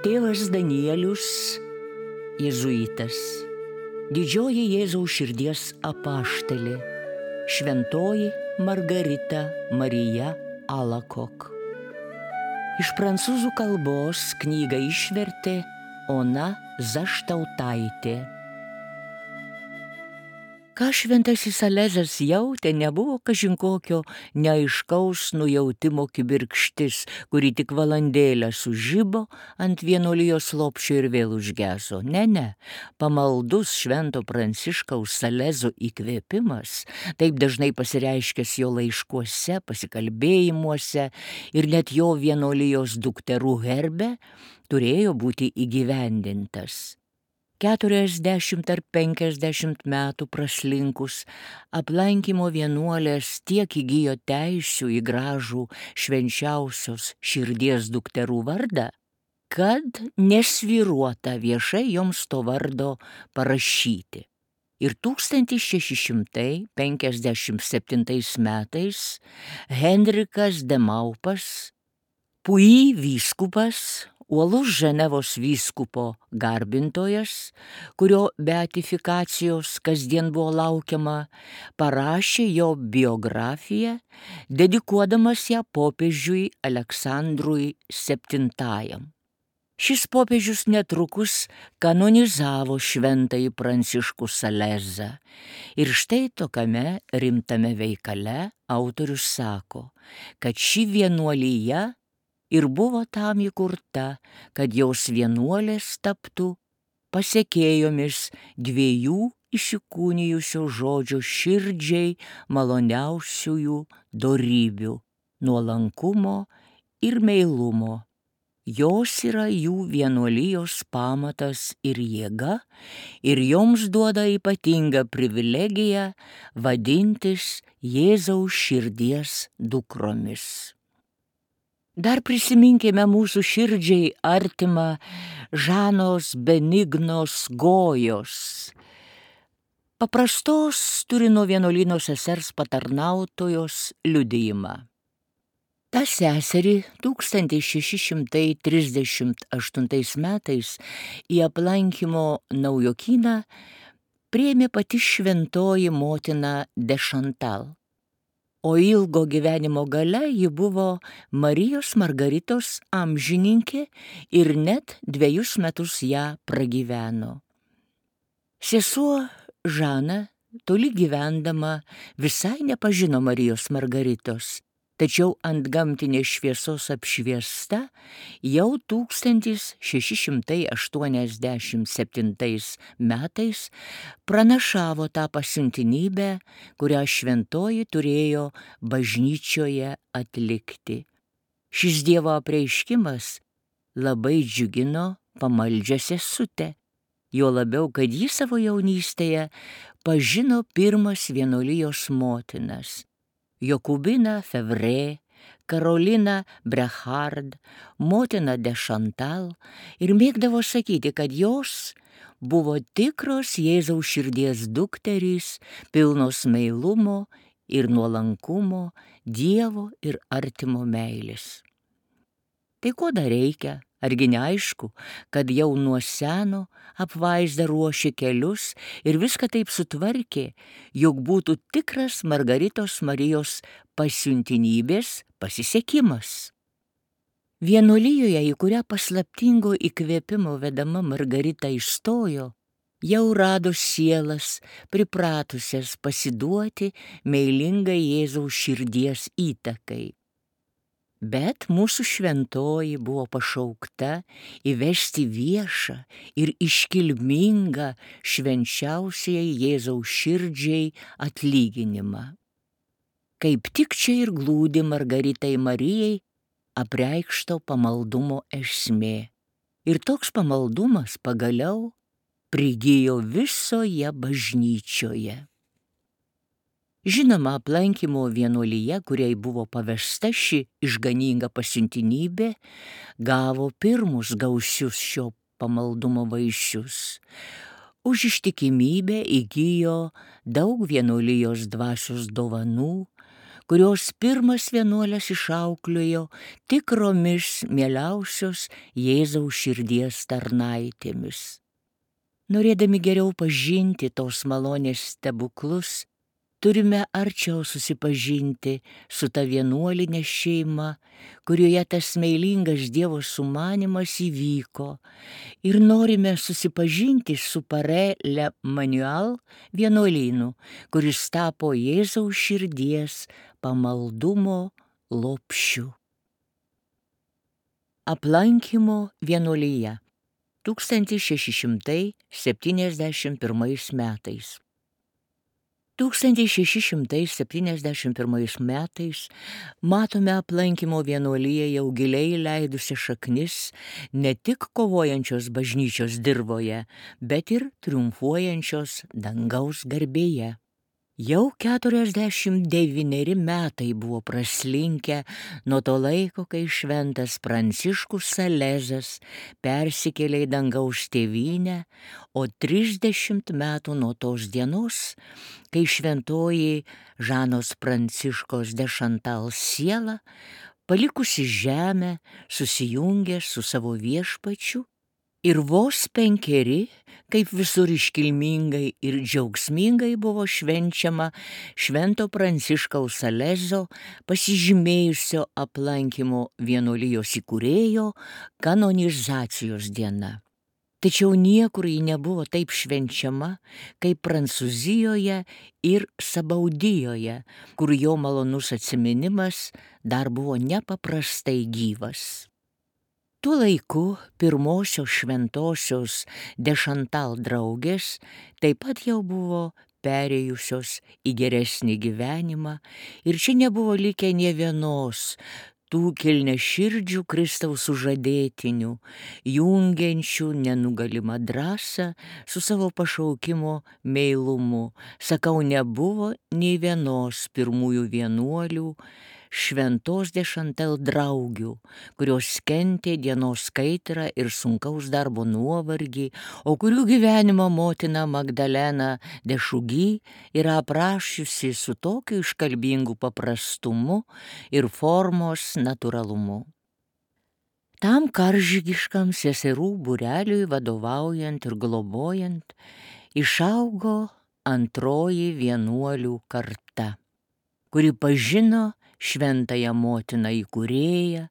Tėvas Danielius, jėzuitas, didžioji Jėzaus širdies apaštalė, šventoji Margarita Marija Alakok. Iš prancūzų kalbos knygą išvertė Ona Zaštautaitė. Ką šventasis Salezas jautė, nebuvo kažin kokio neaiškaus nujautimo kibirkštis, kuri tik valandėlę sužibo ant vienuolijos lopšio ir vėl užgeso. Ne, pamaldus švento Pranciškaus Salezo įkvėpimas, taip dažnai pasireiškęs jo laiškuose, pasikalbėjimuose ir net jo vienuolijos dukterų herbe, turėjo būti įgyvendintas. 40 ar 50 metų praslinkus, aplankymo vienuolės tiek įgijo teisių į gražų švenčiausios širdies dukterų vardą, kad nesvyruota viešai joms to vardo parašyti. Ir 1657 metais Henrikas de Maupas, Puy vyskupas, uolus Ženevos vyskupo garbintojas, kurio beatifikacijos kasdien buvo laukiama, parašė jo biografiją, dedikuodamas ją popiežiui Aleksandrui VII. Šis popiežius netrukus kanonizavo šventąjį Pranciškų Salezą. Ir štai tokiame rimtame veikale autorius sako, kad ši vienuolija ir buvo tam įkurta, kad jos vienuolės taptų pasekėjomis dviejų įsikūnijusio žodžio širdžiai maloniausiųjų dorybių - nuolankumo ir meilumo. Jos yra jų vienuolijos pamatas ir jėga, ir joms duoda ypatingą privilegiją vadintis Jėzaus širdies dukromis. Dar prisiminkime mūsų širdžiai artimą Žanos Benignos Gojos, paprastos Turino vienuolyno sesers patarnautojos liudijimą. Ta seserį 1638 metais į aplankymo naujokyną priėmė pati šventoji motina de Chantal. O ilgo gyvenimo gale ji buvo Marijos Margaritos amžininkė ir net 2 metus ją pragyveno. Sesuo Žana, toli gyvendama, visai nepažino Marijos Margaritos, tačiau ant gamtinės šviesos apšviesta jau 1687 metais pranašavo tą pasiuntinybę, kurią šventoji turėjo bažnyčioje atlikti. Šis Dievo apreiškimas labai džiugino pamaldžią sesutę, juo labiau, kad ji savo jaunystėje pažino pirmas vienuolijos motinas – Jokubiną Fevrė, Karoliną Brechard, motiną de Chantal, ir mėgdavo sakyti, kad jos buvo tikros Jėzaus širdies dukterys, pilnos meilumo ir nuolankumo, Dievo ir artimo meilės. Tai ko dar reikia? Argi neaišku, kad jau nuo seno apvaizda ruošė kelius ir viską taip sutvarkė, jog būtų tikras Margaritos Marijos pasiuntinybės pasisekimas. Vienuolijoje, į kurią paslaptingo įkvėpimo vedama Margarita įstojo, jau rado sielas pripratusias pasiduoti meilingai Jėzaus širdies įtakai. Bet mūsų šventoji buvo pašaukta įvesti viešą ir iškilmingą švenčiausiai Jėzaus širdžiai atlyginimą. Kaip tik čia ir glūdi Margaritai Marijai apreikšto pamaldumo esmė. Ir toks pamaldumas pagaliau prigijo visoje bažnyčioje. Žinoma, aplankymo vienuolija, kuriai buvo pavesta ši išganinga pasiuntinybė, gavo pirmus gausius šio pamaldumo vaisius. Už ištikimybę įgijo daug vienuolijos dvasios dovanų, kurios pirmas vienuolės išauklėjo tikromis mieliausios Jėzaus širdies tarnaitėmis. Norėdami geriau pažinti tos malonės stebuklus, turime arčiau susipažinti su ta vienuoline šeima, kurioje tas meilingas Dievo sumanymas įvyko, ir norime susipažinti su Pare Le Manuel vienuolynu, kuris tapo Jėzaus širdies pamaldumo lopšiu. Aplankymo vienuolyje 1671 metais. 1671 metais matome aplankymo vienuolyje jau giliai leidusi šaknis ne tik kovojančios bažnyčios dirvoje, bet ir triumfuojančios dangaus garbėje. Jau 49 metai buvo praslinkę nuo to laiko, kai šventas Pranciškus Salezas persikėlė į dangaus tėvynę, o 30 metų nuo tos dienos, kai šventoji Žanos Pranciškos de Chantal siela, palikusi žemę, susijungė su savo viešpačiu, ir vos 5, kaip visur iškilmingai ir džiaugsmingai buvo švenčiama švento Pranciškaus Salezo pasižymėjusio aplankymo vienuolijos įkūrėjo kanonizacijos diena. Tačiau niekur ji nebuvo taip švenčiama, kaip Prancūzijoje ir Sabaudijoje, kur jo malonus atsiminimas dar buvo nepaprastai gyvas. Tuo laiku pirmosios šventosios de Chantal draugės taip pat jau buvo perėjusios į geresnį gyvenimą, ir čia nebuvo likę nė vienos tų kilniaširdžių Kristaus sužadėtinių, jungiančių nenugalimą drąsą su savo pašaukimo meilumu. Sakau, nebuvo nei vienos pirmųjų vienuolių, šventos de Chantal draugių, kurios kentė dienos kaitrą ir sunkaus darbo nuovargį, o kurių gyvenimo motina Magdalena de Šugy yra aprašiusi su tokiu iškalbingu paprastumu ir formos natūralumu. Tam karžygiškam seserų būreliui vadovaujant ir globojant, išaugo antroji vienuolių karta, kuri pažino šventąją motiną įkūrėją,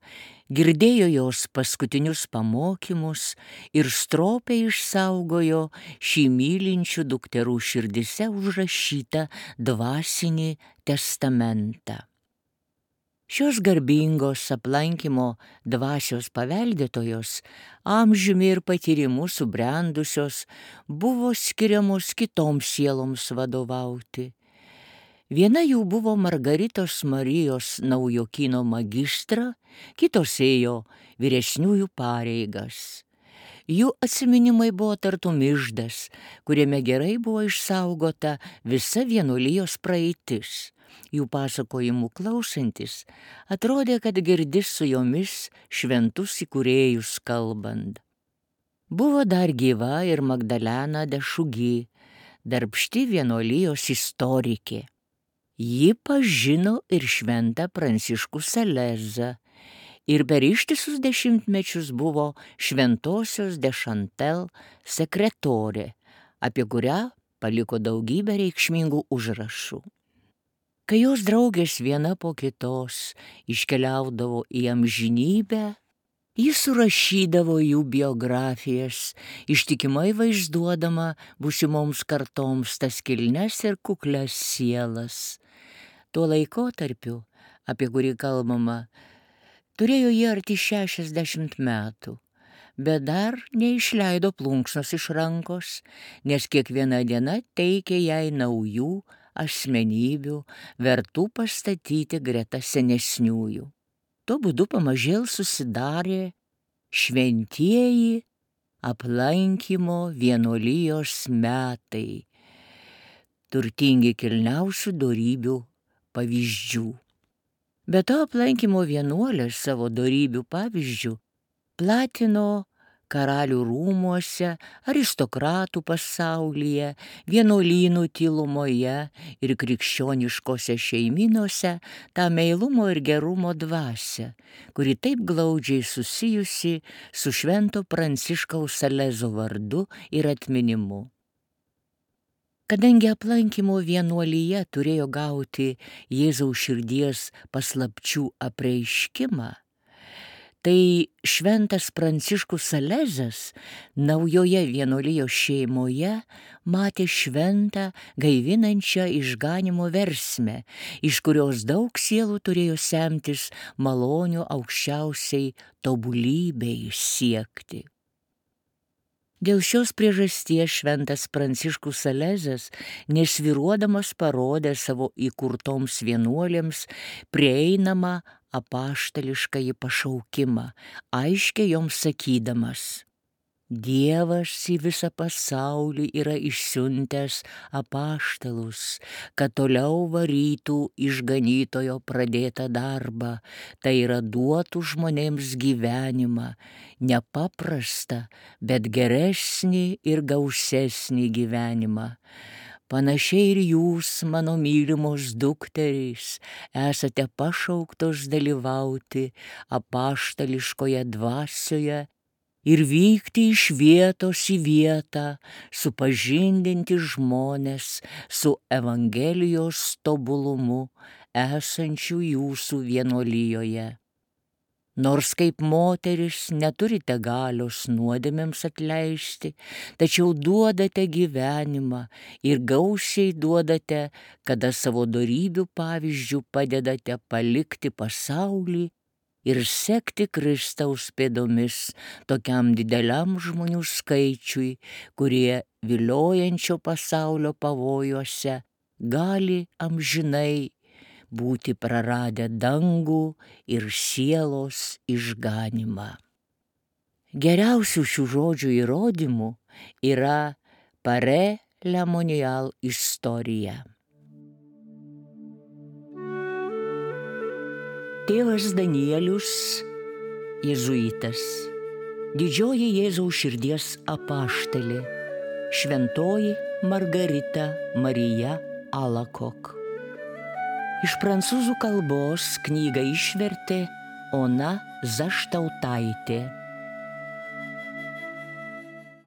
girdėjo jos paskutinius pamokymus ir stropiai išsaugojo šį mylinčių dukterų širdyse užrašytą dvasinį testamentą. Šios garbingos aplankymo dvasios paveldėtojos, amžiumi ir patyrimu subrendusios, buvo skiriamos kitoms sieloms vadovauti. Viena jų buvo Margaritos Marijos Naujokyno magistra, kitos ėjo vyresniųjų pareigas. Jų atsiminimai buvo tartum iždas, kuriame gerai buvo išsaugota visa vienuolijos praeitis. Jų pasakojimų klausantis, atrodė, kad girdi su jomis šventus įkūrėjus kalbant. Buvo dar gyva ir Magdalena de Šugy, darbšti vienuolijos istorikė. Ji pažino ir šventą Pranciškų Salezą ir per ištisus dešimtmečius buvo šventosios de Chantal sekretorė, apie kurią paliko daugybę reikšmingų užrašų. Kai jos draugės viena po kitos iškeliaudavo į amžinybę, ji surašydavo jų biografijas, ištikimai vaizduodama būsimoms kartoms tas kilnes ir kuklias sielas. Tuo laikotarpiu, apie kurį kalbama, turėjo jie arti 60 metų, bet dar neišleido plunksnos iš rankos, nes kiekviena diena teikė jai naujų asmenybių, vertų pastatyti greta senesniųjų. Tuo būdu pamažėl susidarė šventieji aplankymo vienuolijos metai, turtingi kilniausių dorybių pavyzdžių. Be to aplankymo vienuolės savo dorybių pavyzdžių platino karalių rūmuose, aristokratų pasaulyje, vienuolynų tylumoje ir krikščioniškose šeimynose tą meilumo ir gerumo dvasią, kuri taip glaudžiai susijusi su Švento Pranciškaus Salezo vardu ir atminimu. Kadangi aplankymo vienuolyje turėjo gauti Jėzaus širdies paslapčių apreiškimą, tai Šventas Pranciškus Salezas naujoje vienuolijos šeimoje matė šventą gaivinančią išganymo versmę, iš kurios daug sielų turėjo semtis malonių aukščiausiai tobulybei siekti. Dėl šios priežasties Šventas Pranciškus Salezas nesvyruodamas parodė savo įkurtoms vienuolėms prieinamą apaštališkąjį pašaukimą, aiškiai joms sakydamas: Dievas į visą pasaulį yra išsiuntęs apaštalus, kad toliau varytų išganytojo pradėtą darbą, tai yra duotų žmonėms gyvenimą, nepaprastą, bet geresnį ir gausesnį gyvenimą. Panašiai ir jūs, mano mylimos dukterys, esate pašauktos dalyvauti apaštališkoje dvasioje ir vykti iš vietos į vietą, supažindinti žmones su Evangelijos tobulumu esančių jūsų vienuolijoje. Nors kaip moteris neturite galios nuodėmėms atleisti, tačiau duodate gyvenimą ir gausiai duodate, kada savo dorybių pavyzdžių padedate palikti pasaulį ir sekti Kristaus pėdomis tokiam dideliam žmonių skaičiui, kurie viliojančio pasaulio pavojuose gali amžinai būti praradę dangų ir sielos išganymą. Geriausių šių žodžių įrodymų yra Pare Lemonial istorija. Tėvas Danielius, jėzuitas, didžioji Jėzaus širdies apaštalė, šventoji Margarita Marija Alakok. Iš prancūzų kalbos knygą išvertė Ona Zaštautaitė.